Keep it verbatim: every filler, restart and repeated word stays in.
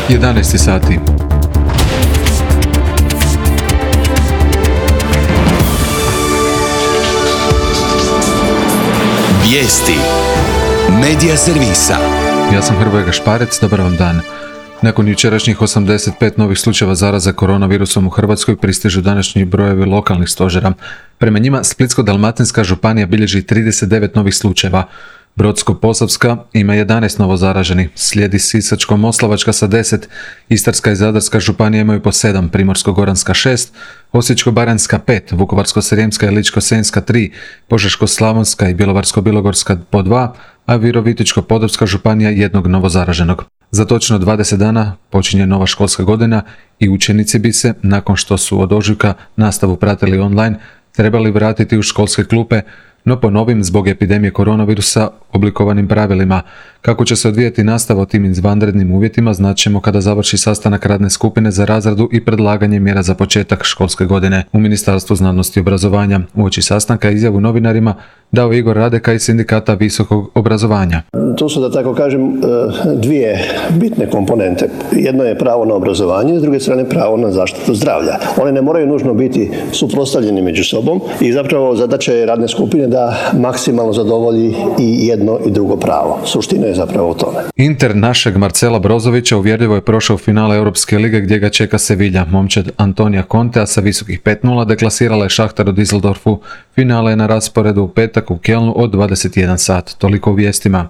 jedanaest sati. Vijesti Medija servisa. Ja sam Hrvoje Gašparec, dobar vam dan. Nakon jučerašnjih osamdeset pet novih slučajeva zaraze koronavirusom u Hrvatskoj pristižu današnji brojevi lokalnih stožera. Prema njima Splitsko-dalmatinska županija bilježi trideset devet novih slučajeva. Brodsko-posavska ima jedanaest novozaraženih, slijedi Sisačko-moslavačka sa deset, Istarska i Zadarska županija imaju po sedam, Primorsko-goranska šest, Osječko-baranjska pet, Vukovarsko-srijemska i Ličko-senjska tri, Požeško-slavonska i Bjelovarsko-bilogorska po dva, a Virovitičko-podravska županija jednog novozaraženog. Za točno dvadeset dana počinje nova školska godina i učenici bi se, nakon što su od ožujka nastavu pratili online, trebali vratiti u školske klupe, no po novim zbog epidemije koronavirusa oblikovanim pravilima. Kako će se odvijati nastava u tim izvanrednim uvjetima znaćemo kada završi sastanak radne skupine za razradu i predlaganje mjera za početak školske godine. U Ministarstvu znanosti i obrazovanja uoči sastanka izjavu novinarima dao Igor Radeka iz Sindikata visokog obrazovanja. Tu su, da tako kažem, dvije bitne komponente. Jedno je pravo na obrazovanje, s druge strane pravo na zaštitu zdravlja. One ne moraju nužno biti suprotstavljeni među sobom i zapravo zadaća je radne skupine da maksimalno zadovolji i jedno i drugo pravo. Suština je zapravo u tome. Inter našeg Marcela Brozovića uvjerljivo je prošao u finale Europske lige gdje ga čeka Sevilla. Momčad Antonija Contea sa visokih pet nula deklasirala je Šahtar u Düsseldorfu. Finale je na rasporedu u petak u Kelnu od dvadeset jedan sat. Toliko u vijestima.